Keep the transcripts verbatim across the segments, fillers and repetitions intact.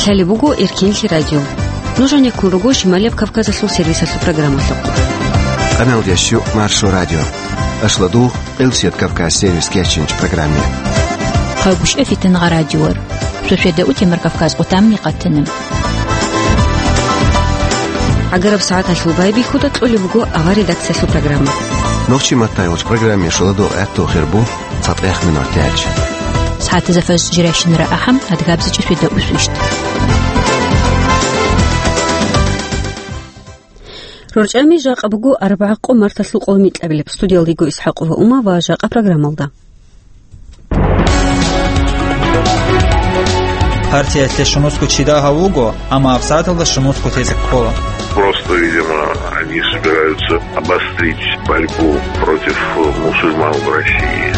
Лъалеб буго Эркенлъи радио. Нуж гьанеккун руго Шималияб Кавказалъул сервисалъул программалъухъ. Къаналдящу Маршо радио. Ашладугъ Элсият Кавказ сервис кечинч программе. Хъагушев Фитнагъа радиор. Суседа утемар Кавказ къутамни къатана. ГӀагараб сагӀаталъул байбихьуда кьолеб буго авар редакциялъул программа. Нохчи маттайгъуч программе шоладугъ гӀатту хирбу. ЦатӀехъ минуталъ. СагӀатазда фажр жирайщинара ахӀам, адгабзичӀи светда усвищ. РорчӀами жакъа буго арбагӀа къо марталъул къолмикьабилеб. Студиялда йиго ИсхӀакъова Ума ва жакъа программалда. Партиялъе щунусго чи дагьав вуго, амма гьабсагӀаталда щунусго тезе ккола. Просто, видимо, они собираются обострить борьбу против мусульман в России.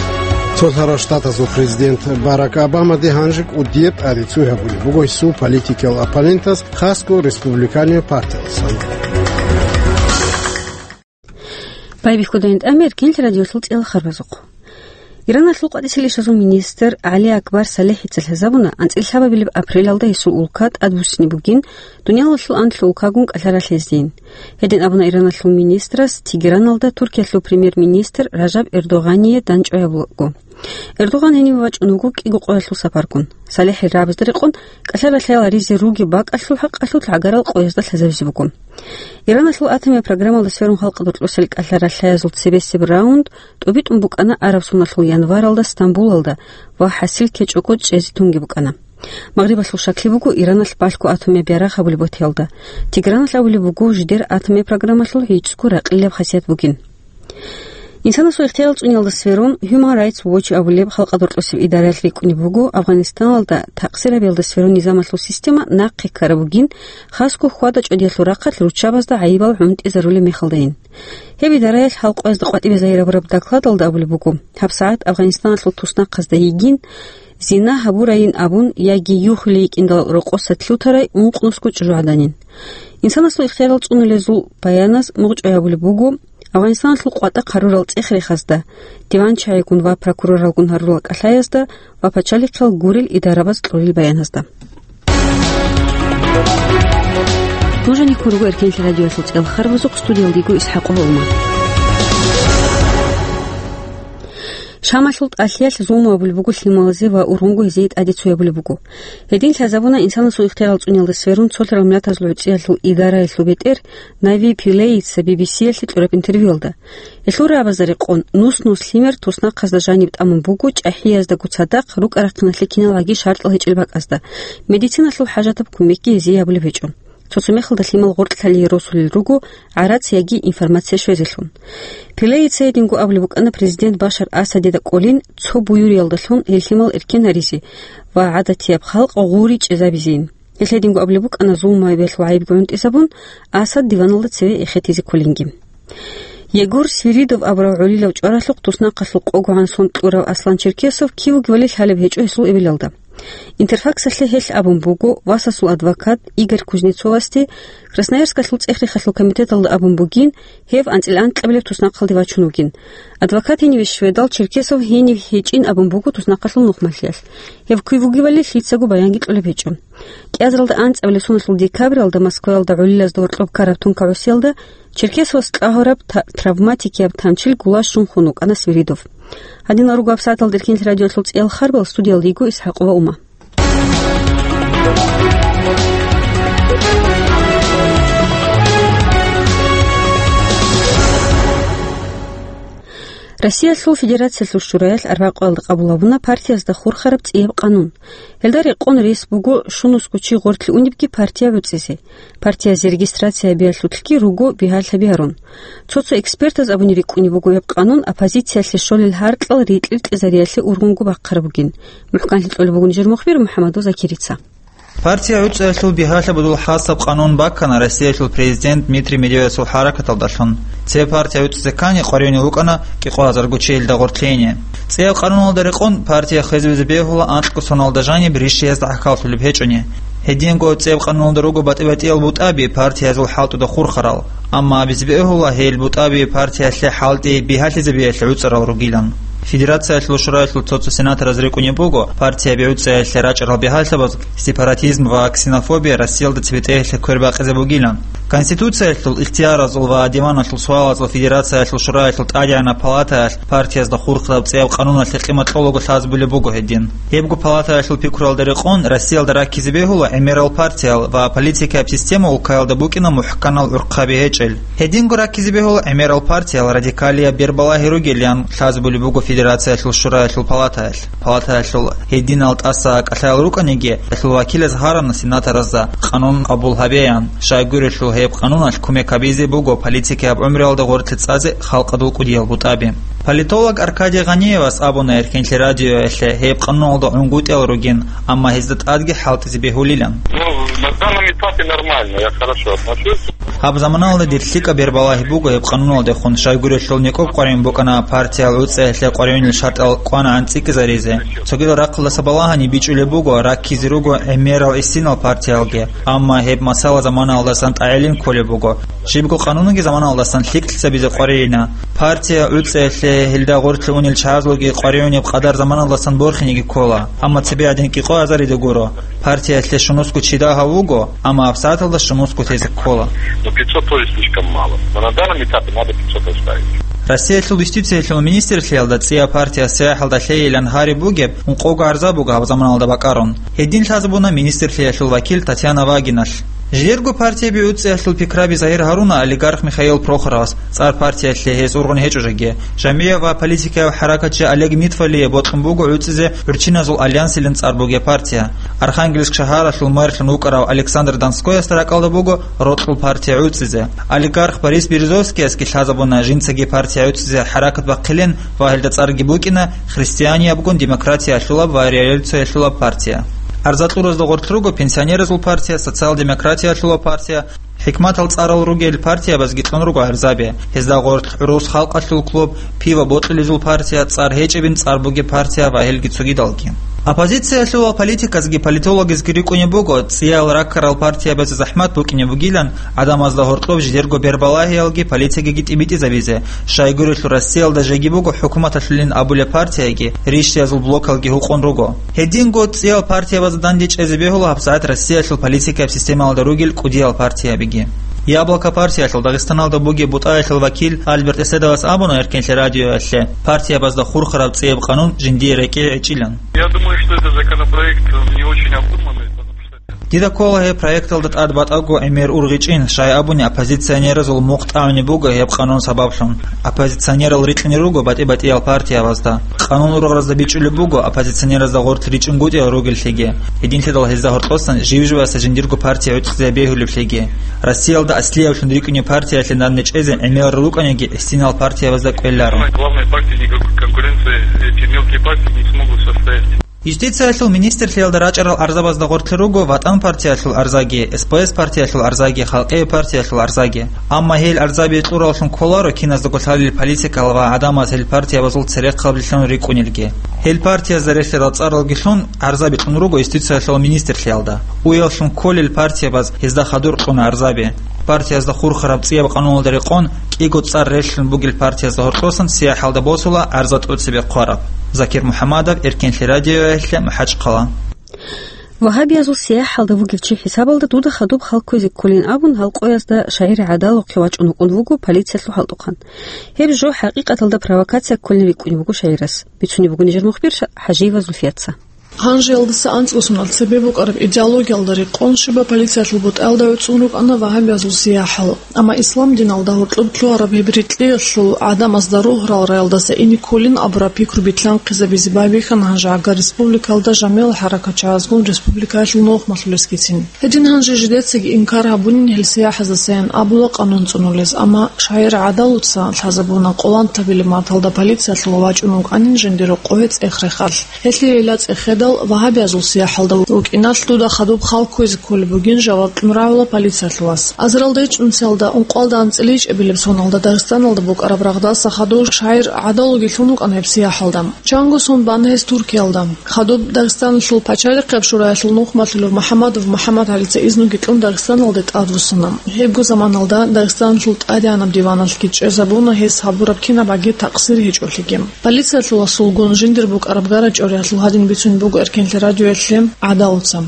Цо лъарал штатазул президент Барак Обамаде гьанже кӀудияб тӀаде цуй гьабулеб буго гьесул политикиял оппонентаз, хасго республиканиял партиялдасан. Байбихьудайин тӀамер кинл радиолъул цӀела харбазухъ. Ираналъул къватӀисел ишазул министр ГӀали Акбар СалихӀица лъазабуна, анцӀила лъабабилеб апрелалда гьесул улка тӀадбуссине бугин, дуниялалъул анлъго улкагун кӀалъа ралъездейин. Гьедин абуна Ираналъул министрас Тегераналда Туркиялъул премьер-министр Ражаб Эрдогъание дандчӀвай гьабулаго. Эрдогъан гьениве вачӀун вуго кӀиго къоялъул сапаргун. СалихӀил рагӀабазда рекъон кӀалъа ралъаял гьаризе ругеб бакӀалъул хӀакъалъулъ гӀагарал къоязда лъазабизе буго. Ираналъул атомияб программалда сверун халкъалда рокьосел кӀалъа ралъаязул цебесеб раунд тӀубитӀун букӀана араб соналъул январалда Стамбулалда ва хӀасил ккечӀого чӀезе тунги букӀана. Магърибалъул шакли буго Ираналъ балъго атомияб ярагъ гьабулеб батиялда. Тегераналъ абулеб буго жидер атомияб программалъул гӀицӀго ракъилаб хасият бугин. Инсанасул ихтияр цӀуниялда сверун, Human Rights Watch абулеб халкъалда рокьосеб идараялъ рикӀкӀунеб буго, Афганистаналда такъсирабиялда сверун низамалъул система нахъе ккараб бугин, хасго хьвада-чӀвадиялъул рахъалъ руччабазда гӀайибал гӀунтӀизарулеб мехалдайин. Гьеб идараялъ гьал къоязда къватӀибе загьир гьабураб докладалда абулеб буго, гьабсагӀат Афганистаналъул туснахъазда йигин, зина гьабурайин абун яги юхулей йикӀиндал рокъоса лъутарай ункънусго чӀужугӀаданин. Инсанасул ихтиярал цӀунулезул баяназ мугъчӀвай абулеб буго, Афганистаналъул къватӀа хъарурал цӀех-рехазда, диванчагӀигун ва прокуроралгун гьарурал кӀалъаязда ва пачалихъал гурел идарабаз кьурил баяназда. Нуж гьанеккун руго Эркенлъи радиоялъул цӀела харбазухъ, студиялда йиго ИсхӀакъова Ума. Шамалъул тӀалъиялъ зулму гьабулеб буго лъималазе ва ургъунго гьезие тӀаде цуй гьабулеб буго. Гьедин лъазабуна инсанасул ихтиярал цӀуниялда сверун цолъарал миллатазул гӀуцӀиялъул идараялъул бетӀер Нави Пилеица Би Би Сиялъе кьураб интервьюялда. Гьелъул рагӀабазда рекъон, нус-нус лъимер туснахъазда жаниб тӀамун буго чӀахӀияздаго цадахъ рукӀа-рахъиналъе киналгӀаги шартӀал гьечӀел бакӀазда, медициналъул хӀажатаб кумекги гьезие гьабулеб гьечӀо. Цо-цо мехалда лъимал гъоркьлъалие росулел руго гӀарац яги информация щвезелъун. Пелеица гьединго абулеб букӀана президент Башар Асадида кӀолин, цо буюриялдалъун гьел лъимал эркен гьаризе ва гӀадатияб халкъ гъури чӀезабизейин. Гьел гьединго абулеб букӀана зулмаябиялъул гӀайибги гӀунтӀизабун, Асад диваналда цеве эхетизе кколинги. Егор Свиридов абурав гӀолилав чӀваралъухъ туснахъалъул къогогӀан сон кьурав Аслан Черкесов кив вугевали лъалеб гьечӀо гьесул эбелалда. Интерфаксалъе гьелъ абун буго, васасул адвокат Игорь Кузнецовасде Красноярскалъул цӀех-рехалъул комитеталда абун бугин, гьев анцӀила анкьабилеб туснахъалде вачун вугин. Адвокат гьениве щведал, Черкесов гьенив гьечӀин абун буго туснахъалъул нухмалъиялъ. Гьев кив вугевали лъицаго баянги кьолеб гьечӀо. КӀиазаралда анцӀабилеб соналъул декабралда Москваялда гӀолилазда гъоркьоб ккараб тункагӀусиялда Черкесовас кьагьураб та-, травматикияб танчил гулащун хун вукӀана Свиридов. Гьадинал руго гьабсагӀаталда Эркенлъи радиолъул цӀиял харбал, студиялда йиго ИсхӀакъова Ума. Россиялъул Федерациялъул Шураялъ арбакъоялда къабул гьабуна партиязда хурхараб цӀияб къанун. Гьелда рекъон рес буго щунусго чи гъорлъе унебги партия гӀуцӀизе. Партиязе регистрация гьабиялъулъги руго бигьалъаби гьарун. Цо-цо экспертаз абуни рикӀкӀунеб буго гьеб къанун оппозициялъе щолел гьаркьал рикьи-рикьизариялъе ургъунго бахъараб бугин. МухӀканлъи кьолеб бугин жер мухбир МухӀаммадов Закирица. Партия гӀуцӀиялъул бигьалъабазул хасаб къанун баккана Россиялъул президент Дмитрий Медведевасул хӀаракаталдалъун. Цебе партия гӀуцӀизе ккани къваригӀунев вукӀана кӀикъоязарго чиясда гъорлъеяне. ЦӀияб къануналда рекъон партия хвезабизе бегьула анкьго соналда жаниб ришиязда гӀахьаллъулеб гьечӀони. Гьединго цӀияб къануналда руго батӀи-батӀиял бутӀаби партиязул хӀалтӀуда хурхарал, Амма абизе бегьула гьел бутӀаби партиялъе хӀалтӀи бигьалъизабиялъе гӀуцӀарал ругилан. Федерациялъул шураялъул цо-цо сенатораз рикӀкӀунеб буго, партияби гӀуцӀиялъе рачӀарал бигьалъабаз сепаратизм ва ксенофобия Россиялда цебетӀеялъе квербакъизе бугилан. Конституциялъул, ихтияразул ва диваналъул суалазул Федерациялъул шураялъул тӀадегӀанаб палатаялъ партиязда хурхараб цӀияб къануналъе къимат кьолаго лъазабулеб буго гьедин. Гьебго палатаялъул пикруялда рекъон, Россиялда раккизе бегьула гӀемерал партиял ва политикаяб система улкаялда букӀина мухӀканал гӀурхъаби гьечӀел. Гьединго раккизе бегьула гӀемерал партиял радикалияб бербалагьи ругелан лъазабулеб буго Федерациялъул шураялъул палатаялъ. Палатаялъул гьединал тӀаса кӀалъаял рукӀаниги, гьелъул вакилаз гьарана сенаторазда къанун къабул гьабеян, щайгурелъул гьеб къануналъ кумек гьабизе буго политикаяб гӀумруялда гъорлъе цӀазе халкъалъул кӀудиял бутӀаби. Политолог Аркадий Гъаниевас абуна Эркенлъи радиоялъе гьеб къануналда гӀунгутӀиялъ ругин, амма гьезда тӀадги хӀалтӀизе бегьулилан. Ну, на данном этапе нормально, я хорошо отношусь. Гьаб заманалда дир лъикӀаб бербалагьи буго гьеб къануналдехун, щайгурелъул никӀоб къваригӀун букӀана партиял гӀуцӀиялъе къваригӀунел шартӀал кӀванагӀан цӀикӀкӀизаризе. Цогидал рахъалдаса балагьани бичӀчӀулеб буго раккизе руго гӀемерал гӀисинал партиялги, амма гьеб масала заманалдасан тӀагӀилин кколеб буго. Щибго къанунги заманалдасан лъикӀлъизабизе къваригӀуна. Партия гӀуцӀиялъе гьелда гъорлъе унел чагӀазулги къваригӀунеб къадар заманалдасан борхиниги ккола, амма цебе гӀадин кӀикъоязарида гуро. Партиялъе щунусго чи дагьав вуго, амма гьабсагӀаталда щунусго тезе ккола. Но пятьсот тоже слишком мало. Но на данном этапе надо пятьсот оставить. Россиялъул юстициялъул министрлъиялда цӀияб партия СаяхӀалда лъейилан гьариб бугеб ункъого гӀарза буго гьаб заманалда бакӀарун. Гьедин лъазабуна министрлъиялъул вакил Татьяна Вагиналъ. Жидерго партияби гӀуцӀиялъул пикраби загьир гьаруна олигарх Михаил Прохоровас, цӀар партиялъе гьес ургъун гьечӀо жеги. Жамигьа ва политикаяб хӀаракатчи Олег Нитфалие бокьун буго гӀуцӀизе гӀурччиназул альянсилан цӀар бугеб партия. Архангельск шагьаралъул мэрлъун вукӀарав Александр Донскоясда ракӀалда буго рокьул партия гӀуцӀизе. Олигарх Борис Березовскиясги лъазабуна жинцаги партия гӀуцӀизе хӀаракат бахъилин ва гьелда цӀарги букӀина христианиябгун демократиялъулаб ва революциялъулаб партия. Арза кьуразда гъорлъ руго пенсионеразул партия, социал-демократиялъулаб партия, хӀикматал цӀарал ругел партиябазги кьун руго гӀарзаби. Гьезда гъорлъ гӀурус халкъалъул клуб, пиво бокьулезул партия, цӀар гьечӀебин цӀар бугеб партия ва гьелги цогидалги. Оппозициялъул политиказги политологазги рикӀкӀунеб буго, цӀиял раккарал партиябазе захӀмат букӀине бугилан, гӀадамазда гьоркьоб жидерго бербалагьиялги политикаги тӀибитӀизабизе, щайгурелъул Россиялда жеги буго хӀукуматалъулин абулеб партияги, рищиязул блокалги гьукъун руго. Гьединго цӀиял партиябазда данде чӀезе бегьула гьабсагӀат Россиялъул политикаяб системалда ругел кӀудиял партиябиги. «Яблоко» партиялъул Дагъистаналда бугеб бутӀаялъул вакил Альберт Эседовас абуна Эркенлъи радиоялъе, партиябазда хурхараб цӀияб къанун жиндие рекӀее гӀечӀилан. Я думаю, что этот законопроект не очень обдуманный, потому что Дида ккола гьеб проекталда тӀад батӀаго гӀемер ургъичӀин, щай абуни оппозиционеразул мухъ тӀагӀунеб буго гьеб къанун сабаблъун. Оппозиционерал рикьине руго батӀи-батӀиял партиябазда. Къанун ургъаразда бичӀчӀулеб буго оппозиционеразда гъорлъ ричӀин гутӀиялъ ругеллъиги. Гьединлъидал гьезда гьоркьосан жив-живасда жиндирго партия гӀуцӀизе бегьулеблъиги. Россиялда аслиявлъун рикӀкӀунеб партиялъе данде чӀезе гӀемерал рукӀаниги гӀисинал партиябазда кӀвеларо. Самая главная партия, никакой конкуренции эти мелкие партии не смогут составить. Юстициялъул министрлъиялда рачӀарал арзабазда гъорлъе руго ВатӀан партиялъул арзаги, СПС партиялъул арзаги, Халкъиял партиялъул арзаги. Амма гьел арзаби кьураллъун кколаро киназдаго лъалел политикал ва гӀадамаз гьел партиябазул церехъаблъун рикӀкӀунелги. Гьел партиязда релълъарал цӀаралги лъун арзаби кьун руго юстициялъул министрлъиялда. Уяллъун кколел партиябаз гьезда хадур кьуна арзаби. Партиязда хурхараб цӀияб къануналда рекъон, кӀиго цӀар релълъун бугел партиязда гьоркьосан сияхӀалда босула арза тӀоцебе хъвараб. Закир МухӀамадов, Эркенлъи радиоялъе, МахӀачхъала. Вагьабиязул сияхӀалда вугев чи хӀисабалда дуда хадуб хал кквезе кколин абун, гьал къоязда шагьир ГӀадалухъе вачӀун вукӀун вуго полициялъул хӀалтӀухъан. Гьеб жо хӀакъикъаталда провокация кколин рикӀкӀунев вуго шагьирас. Бицунеб бугони жер мухбир Ша-, ХӀажиева Зульфияца. Гьанже гьалдаса анцӀго соналъ цебе букӀараб идеологиялда рекъон щибаб полициялъул бутӀаялда гӀуцӀун рукӀана вагьабиязул сияхӀал. Амма ислам диналда гьоркьоб лъугьараб гьеб рикьиялъул гӀадамазда рогьарал раялдаса ине кколин абураб пикру битлъанхъизабизе байбихьана гьанже гӀага республикалда жамигӀал хӀаракатчагӀазгун республикаялъул нухмалъулесгицин. Гьедин гьанже жидецаги инкар гьабунин гьел сияхӀаздасаян абула къанун цӀунулез, амма шагьир ГӀадалуца лъазабуна къолантабилеб марталда полициялъул вачӀун вукӀанин жиндир рокъове цӀех рехалъ. Гьелъие гьела цӀехеда Вагьабиязул сияхӀалда вукӀиналъ дуда хадуб хал кквезе кколеб бугин жаваб кьун рагӀула полициялъулас. Азаралда ичӀнусиялда ункъоялда анцӀила ичӀабилеб соналда Дагъистаналда букӀараб рагъдаса хадув шагьир гӀадалуги лъун вукӀана гьеб сияхӀалда. Чанго сон бана гьес Туркиялда. Хадуб Дагъистаналъул пачалихъияб шураялъул нухмалъулев МухӀаммадов МухӀаммадгӀалица изнуги кьун Дагъистаналде тӀадвуссана. Гьебго заманалда Дагъистаналъул тӀадегӀанаб диваналъги чӀезабуна гьес гьабураб кинаб гӀаги такъсир гьечӀолъиги. Полициялъуласулгун жиндир букӀараб гарачӀориялъул гьадин бицунеб буго Эркенлъи радиоялъе ГӀадалуца.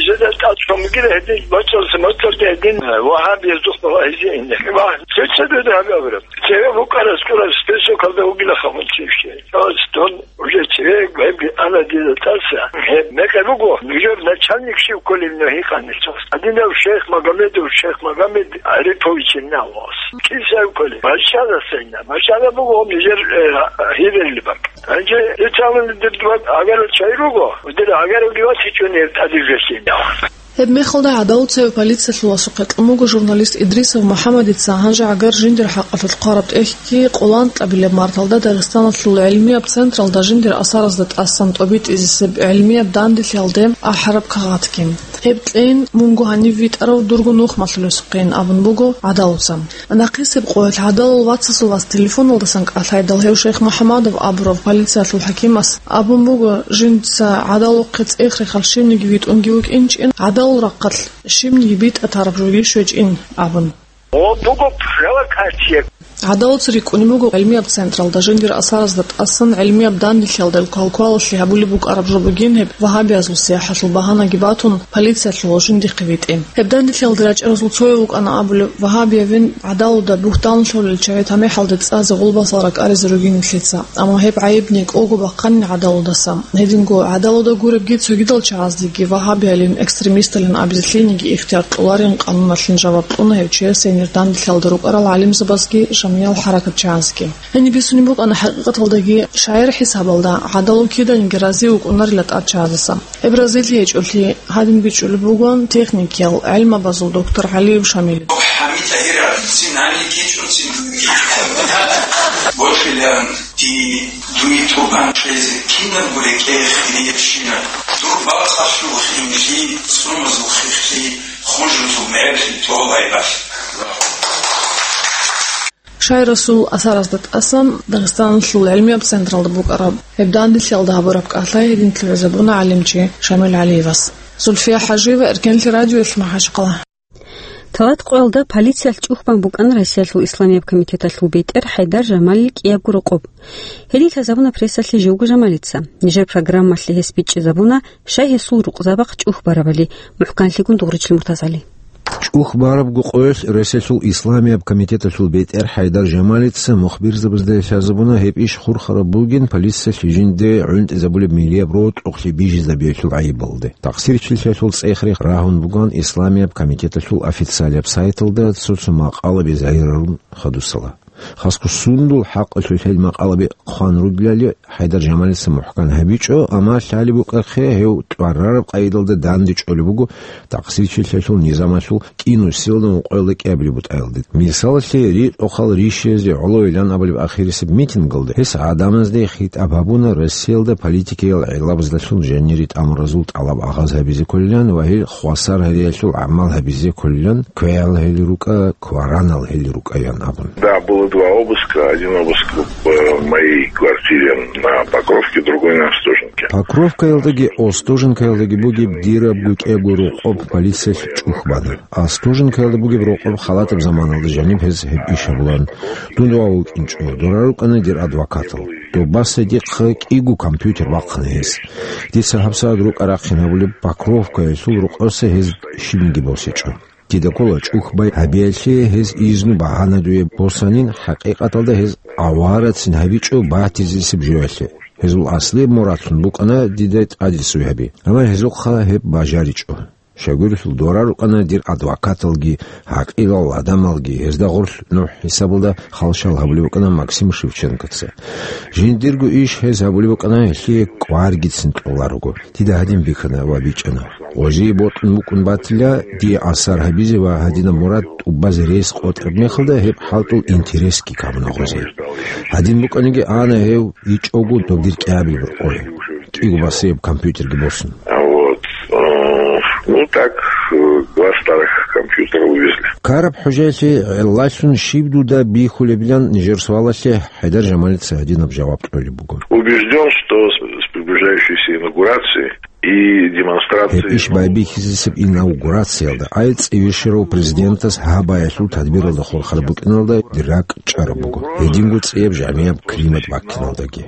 Жеда тӀад чамгир гьедин, бачӀалса мацӀалда гьедин, вагьабияздухъ балагьизе ине. Ва цецадада гьаб абураб. Цеве букӀарас ккураб списокалда вугила хамунчивщи. Тон уже цеве гьебги ана дида тӀаса. Гьеб мекъи буго, нужер начальник щив кколеб нухӀи къанилъас. Гьадинав шейх Магомедов, шейх Магомед Арипович Инналас. Кисав кколеб? Бачаласайна. Бачала буго нужер, э, гьирелли бакӀ. Гьанже италан дирдват агара чай руго, удира агара гивас ичӀони гьеб тӀадиб жесин. Гьеб мехалда гӀадалуцеве полициялъуласухъе кьун буго журналист Идрисов МухӀаммадица гьанже гӀагар жиндир хӀакъалъулъ хъвараб тӀехьги къолан тӀабилеб марталда Дагъистаналъул гӀилмияб централда жиндир асаразда тӀасан тӀобитӀизесеб гӀилмияб данделъиялде ахӀараб кагъатги. Гьеб кьейин мунго гьанив витӀарав дурго нухмалъулесухъейин абун буго гӀадалуца. Нахъисеб къоялъ гӀадалул вацасул вас телефоналдасан кӀалъайдал гьев Шейх МухӀаммадов абурав полициялъул хӀакимас абун буго, жинца гӀадалухъе цӀех-рехал щибниги витӀунги вукӀинчӀин, гӀадалул рахъалъ щибниги битӀа тараб жоги щвечӀин абун. О, буго провокация. ГӀадалуца рикӀкӀунеб буго гӀилмияб централда жиндир асаразда тӀасан гӀилмияб данделъиялда квалквалалъе гьабулеб букӀараб жо бугин гьеб вагьабиязул сияхӀалъул багьанаги батун, полициялъул жиндихъе витӀи. Гьеб данделъиялда рачӀаразул цояв вукӀана абулеб, вагьабиявин гӀадалуда бугьтан лъолел чагӀи тамихӀалде цӀазе гъулбасал ракӀаризе ругин нилъеца. Амма гьеб гӀайиб некӀого бахъанин гӀадалудаса. Гьединго гӀадалуда гуребги цогидал чагӀаздеги вагьабиялин, экстремисталин абизе лъиениги ихтияр кьоларин къануналъин жаваб кьуна гьев чиясе гьенир данделъиялда рукӀарал гӀалимзабазги жамгӀиял хӀаракатчагӀазги. Гьениб бицунеб букӀана хӀакъикъаталдаги шагӀир хӀисабалда гӀадалу киданиги рази вукӀунарила тӀад чагӀаздаса. Гьеб разилъи гьечӀолъи гьадин бичӀчӀулеб бугон техникиял гӀилмабазул доктор ГӀалиев Шамил. ХӀамид Тагьиров, цинани кичӀун цин. Бочилан ди дуй тӀубан чӀезе кинабго рекӀее хириябщинаб. Дур бакъалъул хинлъи, цӀумазул хихълъи, хужбузул мегӀерлъи толайбалъ. Шагьирасул асаразда тӀасан Дагъистаналъул гӀилмияб централда букӀараб гьеб данделъиялда гьабураб кӀалъай гьедин лъугӀизабуна гӀалимчи Шамил ГӀалиевас. Зульфия ХӀажиева, Эркенлъи радиоялъ, МахӀачхъала. Талат къоялда полициялъ чӀухбан букӀана Россиялъул исламияб комитеталъул бетӀер ХӀайдар Жамалил кӀиябго рокъоб. Гьедин лъазабуна прессалъе живго Жамалица. Нижер программалъе гьес бичӀчӀизабуна, щай гьесул рукъзабахъ чӀухбарабали, мухӀканлъигун дугъричил МуртазгӀали. ЧӀухбарабго къоялъ Россиялъул исламияб комитеталъул бетӀер ХӀайдар Жамалица мухбирзабазда лъазабуна гьеб иш хурхараб бугин полициялъ жинде гӀунтӀизабулеб милияб рокьухълъи бижизабиялъул гӀайибалде. Такъсирчилъиялъул цӀех-рех рагьун буган исламияб комитеталъул официалияб сайталда цо-цо макъалаби загьирарун хадусала. Хасго сундул хӀакъалъулъ гьел макъалаби хъван ругелали ХӀайдар Жамалица мухӀкан гьабичӀо, амма лъалеб букӀахъе гьев тӀварараб къайдалда дандечӀолеб буго такъсирчилъиялъул низамалъул кӀинусиялда ункъоялда кӀиабилеб бутӀаялде. Мисалалъе, ритӀухъал ришизе гӀолойилан абулеб ахирисеб митингалда гьес гӀадамазде хитӀаб гьабуна Россиялда политикиял гӀелабаздалъун жанири тӀамуразул тӀалаб агъаз гьабизе кколилан ва гьел хвасар гьариялъул гӀамал гьабизе кколилан, квегӀал гьел рукӀа, кваранал гьел рукӀаян абун. Да, было два обыска. Один обыск в моей квартире на Покровке, другой на Остоженке. Покровкаялдаги Остоженкаялдаги бугеб дираб гукӀаго рокъоб полициялъ чӀухбана. Остоженкаялда бугеб рокъоб халатаб заманалда жаниб гьез гьеб иш гьабулан. Дун дова вукӀинчӀо, дора рукӀана дир адвокатал. Добасай дихъа кӀиго компьютер бахъана гьес. Дица гьабсагӀат рукӀа-рахъин гьабулеб Покровкаялъул рокъоса гьез щибниги босичӀо. Дида ккола чӀухбай гьабиялъе гьез изну багьана дуе босанин, хӀакъикъаталда гьез аварацин гьабичӀо батизесеб жоялъе. Гьезул аслияб мурадлъун букӀана дида тӀадисуй гьаби, амма гьезухъа гьеб бажаричӀо. Щайгурелъул дора рукӀана дир адвокаталги, гӀакъилал гӀадамалги, гьезда гъорлъ нухӀ хӀисабалда халщал гьабулеб букӀана Максим Шевченкоца. Жиндирго иш гьез гьабулеб букӀана гьелъие кӀваргицин кьоларого. Дида гьадин бихьана ва бичӀчӀана. Гъозие бокьун букӀун батила, дие асар гьабизе ва гьадинаб мурад тӀубазе рес къотӀараб мехалда гьеб хӀалтӀул интересги камуна гъозие. Гьадин букӀаниги ана гьев ичӀого доб дир кӀиабилеб рокъове. кӀиго басияб компьютерги босун. Вот. Э, ну, так, э, два старых компьютера увезли. Караб хӀужаялъе гӀеллалъун щиб дуда бихьулебилан нижер суалалъе ХӀайдар Жамалица гьадинаб жаваб кьолеб буго. Убежден, что с с приближающейся инаугурацией и демонстрацией Гьеб иш байбихьизесеб инаугурациялда, ай цӀивищарав президентас гьаб баялъул тадбиралда хурхар букӀиналда дир ракӀ чӀараб буго, гьединго цӀияб жагӀмияб климат баккиналдаги.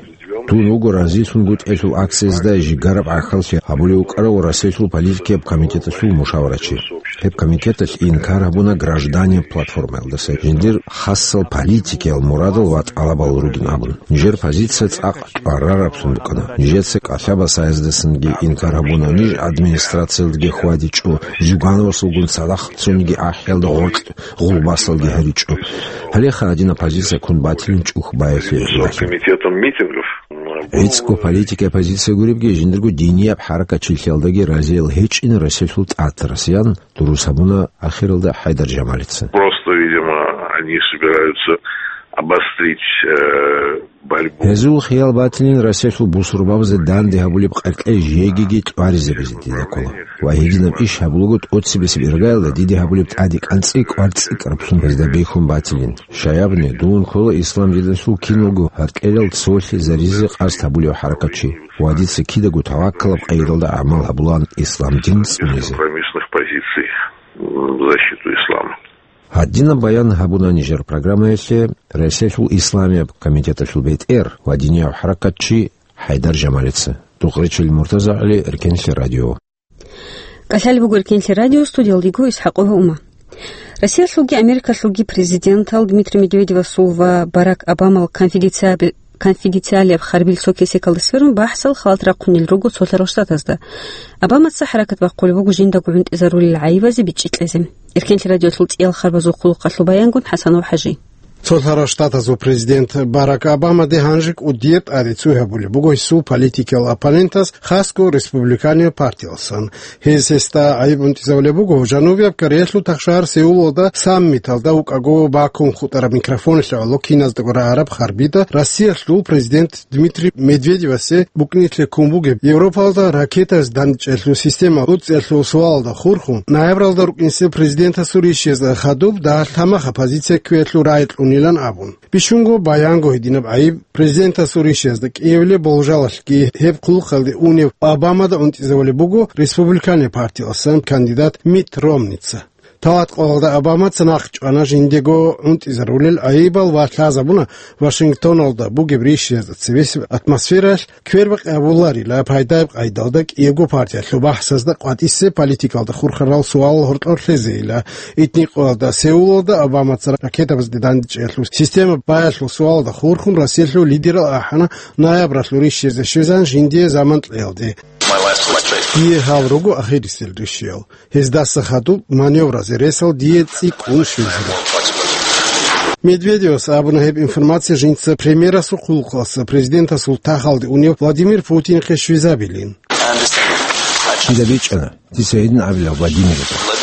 Тун вуго разилъунгутӀиялъул акциязда жигараб гӀахьаллъи гьабулев вукӀарав Россиялъул политикияб комитеталъул мушаварачи. Гьеб комитеталъ инкар гьабуна граждане платформаялдаса жиндир хасал политикиял мурадал ва тӀалабал ругин абун. Нижер позиция цӀакъ тӀварарабцун букӀана. Нижеца кӀалъа-басаяздасанги инкар гьабуна, ниж администрациялдаги хьвадичӀо, Зюгановасулгун цадахъ цониги ахӀиялда гъоркь гъулбасалги гьаричӀо. Гьалеха гьадинаб позиция ккун батилин чӀухь баялъе гӀолохъе. Комитетом митингов. ГӀицӀго политикияй позиция гуребги, жиндирго динияб хӀаракатчилъиялдаги разиял гьечӀин Россиялъул ТӀатарасиян дурус гьабуна ахиралда ХӀайдар Жамалица. Просто, видимо, они собираются обострить, э, борьбу. Гьезул хиял батилин Россиялъул бусурбабазе данде гьабулеб къеркьей жегиги тӀваризабизе дида ккола. Ва гьединаб иш гьабулаго тӀоцебесеб иргаялда диде гьабулеб тӀаде кӀанцӀи кӀвар цӀикӀкӀарабцун гьезда бихьун батилин. Щаябни, дун ккола ислам диналъул киналго гьаркьелал цолъизаризе къасд гьабулев хӀаракатчи. Ва дица кидаго таваккалаб къайдалда гӀамал гьабулаан ислам дин цӀунизе. Компромиссных позиций, м, в защиту ислама. Гьадинаб баян гьабуна нижер программаялъе Россиялъул исламияб комитеталъул бетӀер ва динияб хӀаракатчи ХӀайдар Жамалица. Дукъ речел Муртаза ГӀали, Эркенлъи радио. КӀалъалеб буго Эркенлъи радио, студиялда йиго ИсхӀакъова Ума. Россиялъулги Америкалъулги президентал Дмитрий Медведевасул ва Барак Обамал конфиденциаб-, конфиденциалияб харбил цо кесекалда сверун бахӀсал халат рахъунел руго цолъарал штатазда. Обамаца хӀаракат бахъулеб буго жиндаго гӀунтӀизарулел гӀайибазе бичӀчӀи кьезе. Эркенлъи радиолъул цӀиял харбазул хъулухъалъул баянгун ХӀасанов ХӀажи. Цолъарал штатазул президент Барак Обамаде гьанже кӀудияб тӀаде цо гьабулеб буго гьесул политикиял оппонентас, хасго республиканиял партиялсан. Гьез гьесда гӀайиб гӀунтӀизабулеб буго Жанубияб Кореялъул тахшагьар Сеулалда саммиталда вукӀаго бакун хутӀараб микрофоналъе гӀоло киназдаго рагӀараб харбида Россиялъул президент Дмитрий Медведевасе букӀинилъе ккун бугеб Европалда ракетазе дандчӀелъул система уцӀцӀиялъул суалалда хурхун, ноябралда рукӀинсел президентасул ришиязда хадуб дагьалъ гьамаха позиция кквеялъул рагӀи кьунилан абун. Бищунго баянго гьединаб гӀайиб президентасул ришиязда кӀиявилеб болжалалъги гьеб хъулухъалде унев Обамада гӀунтӀизабулеб буго республиканиял партиялсан кандидат Митт Ромница. Тават къоялда Обамаца нахъчӀвана жиндего гӀунтӀизарулел гӀайибал ва лъазабуна Вашингтоналда бугеб ришиязда цебесеб атмосфераялъ квербакъи гьабуларила, пайдаяб къайдалда кӀиябго партиялъул бахӀсазда къватӀисе политикалда хурхарал суалал гьоркьор лъезейила. Итни къоялда Сеулалда Обамаца ракетабазде дандчӀиялъул система баялъул суалалда хурхун Россиялъул лидерал ахӀана ноябралъул ришиязде щвезан жиндие заман кьеялде. Дие гьал руго ахирисел ришиял. Гьездаса хадуб маневразе ресал дие цӀикӀкӀун щвезила. Медведевас абуна гьеб информация жинца премьерасул хъулухъалъа президентасул тахалде унев Владимир Путинихъе щвезабилин. Дида бичӀчӀана, дица гьедин абила Владимирихъе.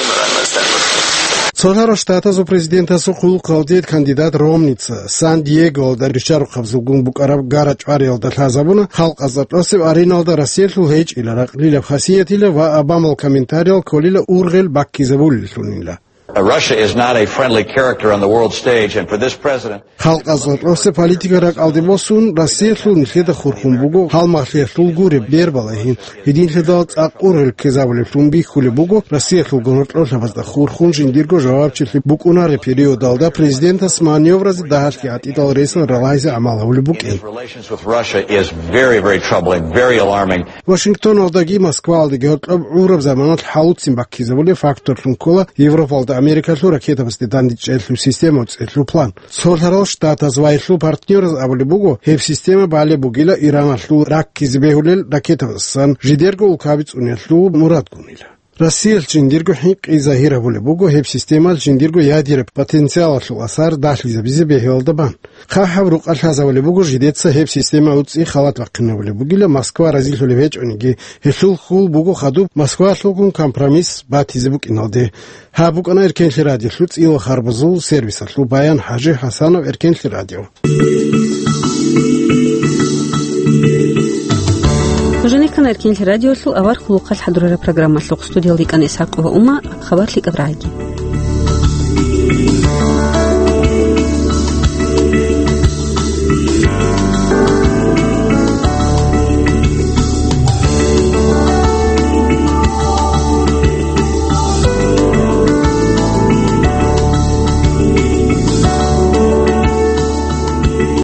Цолъарал штатазул президентасул хъулухъалде кандидат Ромница Сан-Диеголда риччарухъабазулгун букӀараб гара-чӀвариялда лъазабуна, халкъазда тӀосеб ареналда Россиялъул гьечӀила ракълилаб хасиятила ва Обамал комментариял кколила ургъел баккизабулеллъунила. Russia is not a friendly character on the world stage, and for this president, Халкъазда тӀосе политика ракӀалде босун, Россиялъул нилъеда хурхун буго гьалмагълъиялъул гуреб бербалайин. Гьединлъидал цӀакъ ургъел ккезабулеблъун бихьулеб буго Россиялъул гьоркьорлъабазда хурхун жиндирго жавабчилъи букӀунареб периодалда президентас маневразе дагьалъги гӀатӀидал ресал ралайзе гӀамал гьабулеб букӀин. Relations with Russia is very, very troubling, very alarming. Вашингтоналдаги Москваялдаги гьоркьоб гӀураб заманалъ хӀалуцин баккизабулеб факторлъун ккола Европалда Америкалъул ракетабазде дандчӀелъул система уцӀцӀелъул план. Цолъарал Штатаз ва гьелъул партнераз абулеб буго, гьеб система балеб бугила Ираналъул раккизе бегьулел ракетабазасан жидерго улкаби цӀуниялъул мурадгунила. Россиялъ жиндирго хӀинкъи загьир гьабулеб буго гьеб системалъ жиндирго ядераб потенциалалъул асар дагьлъизабизе бегьулелда бан. ХъахӀаб рукъалъ лъазабулеб буго жидеца гьеб система уцӀцӀи халат бахъинабулеб бугила Москва разилъулеб гьечӀониги, гьелъул хьул буго хадуб Москвалъулгун компромисс батизе букӀиналде. Гьаб букӀана Эркенлъи радиолъул цӀила харбазул сервисалъул баян. ХӀажи ХӀасанов, Эркенлъи радио. Эркинлъи радиолъул авар хъулухъалъ хӀадурараб программалъухъ студиялда йикӀана ИсхӀакъова Ума, хабар лъикӀаб рагӀиги.